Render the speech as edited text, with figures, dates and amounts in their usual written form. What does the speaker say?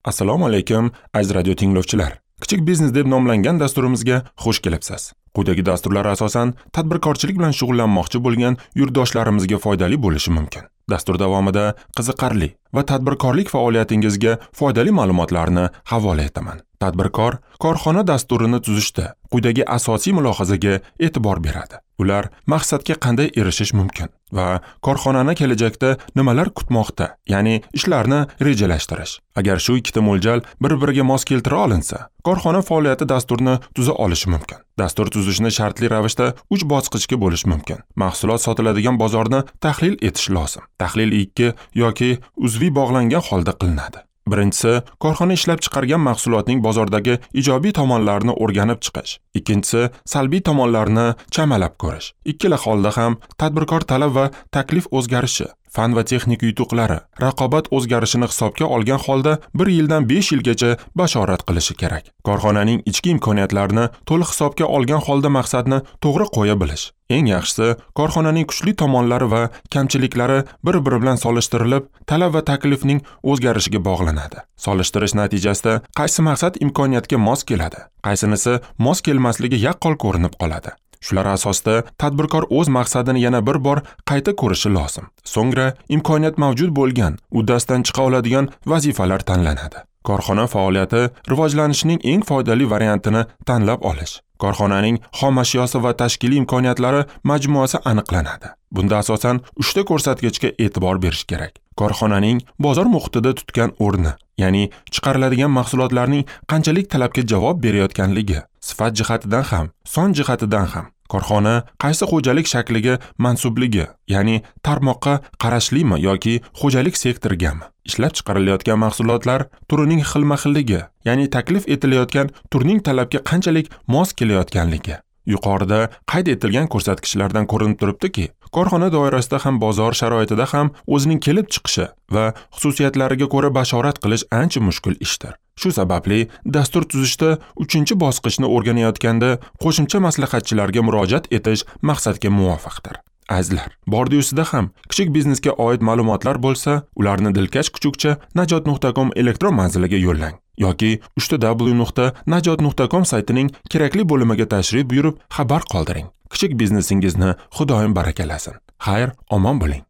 Assalomu alaykum, aziz radio tinglovchilar. Kichik biznes deb nomlangan dasturimizga xush kelibsiz. Quyidagi dasturlar asosan tadbirkorchilik bilan shug'ullanmoqchi bo'lgan yurtdoshlarimizga foydali bo'lishi mumkin. Dastur davomida qiziqarli va tadbirkorlik faoliyatingizga foydali ma'lumotlarni havola etaman. Tadbirkor korxona dasturini tuzishda quyidagi asosiy mulohazaga e'tibor beradi. Ular maqsadga qanday erishish mumkin va korxonani kelajakda nimalar kutmoqda, ya'ni ishlarni rejalashtirish. Agar shu ikkita mo'ljal bir-biriga mos keltira olinsa, korxona faoliyati dasturini tuza olishi mumkin. Dastur tuzishni shartli ravishda 3 bosqichga bo'lish mumkin. Mahsulot sotiladigan bozorni tahlil etish lozim. Tahlil 2 yoki uzviy bog'langan holda qilinadi. Birinchisi, korxona ishlab chiqargan mahsulotning bozordagi ijobiy tomonlarini o'rganib chiqish. Ikkinchisi, salbiy tomonlarini chamalab ko'rish. Ikkala holda ham tadbirkor talab va taklif o'zgarishi, fan va texnika yutuqlari, raqobat o'zgarishini hisobga olgan holda 1 yildan 5 yilgacha bashorat qilishi kerak. Korxonaning ichki imkoniyatlarini to'liq hisobga olgan holda maqsadni to'g'ri qo'ya bilish. Eng yaxshisi, korxonaning kuchli tomonlari va kamchiliklari bir-biri bilan solishtirilib, talab va taklifning o'zgarishiga bog'lanadi. Solishtirish natijasida qaysi maqsad imkoniyatga mos keladi, qaysinisi mos kelmasligi yaqqol ko'rinib qoladi. Shular asosida tadbirkor o'z maqsadini yana bir bor qayta ko'rishi lozim. So'ngra imkoniyat mavjud bo'lgan, uddasidan chiqa oladigan vazifalar tanlanadi. Korxona faoliyati rivojlanishining eng foydali variantini tanlab olish. Korxonaning xom ashyosi va tashkiliy imkoniyatlari majmuasi aniqlanadi. Bunda asosan 3 ta ko'rsatkichga e'tibor berish kerak. Korxonaning bozor muhitida tutgan o'rni, ya'ni chiqariladigan mahsulotlarning qanchalik talabga javob berayotganligi, sifat jihatidan ham, son jihatidan ham. Korxona qaysi xo'jalik shakliga mansubligi, ya'ni tarmoqqa qarashlimi yoki xo'jalik sektorigami? Ishlab chiqarilayotgan mahsulotlar turining xilma-xilligi, ya'ni taklif etilayotgan turning talabga qanchalik mos kelayotganligi. Yuqorida qayd etilgan ko'rsatkichlardan ko'rinib turibdiki, korxona doirasida ham bozor sharoitida ham o'zining kelib chiqishi va xususiyatlariga ko'ra bashorat qilish ancha mushkul ishdir. Shu sababli dastur tuzishda 3-bosqichni o'rganayotganda qo'shimcha maslahatchilarga murojaat etish maqsadga muvofiqdir. Azizlar, bordi-yusida ham kichik biznesga oid ma'lumotlar bo'lsa, ularni dilkash kuchukcha najot.com elektron manziliga yo'llang yoki www.najot.com saytining kerakli bo'limiga tashrif buyurib xabar qoldiring. Kichik biznesingizni Xudoyim barakalasin. Xayr, omon bo'ling.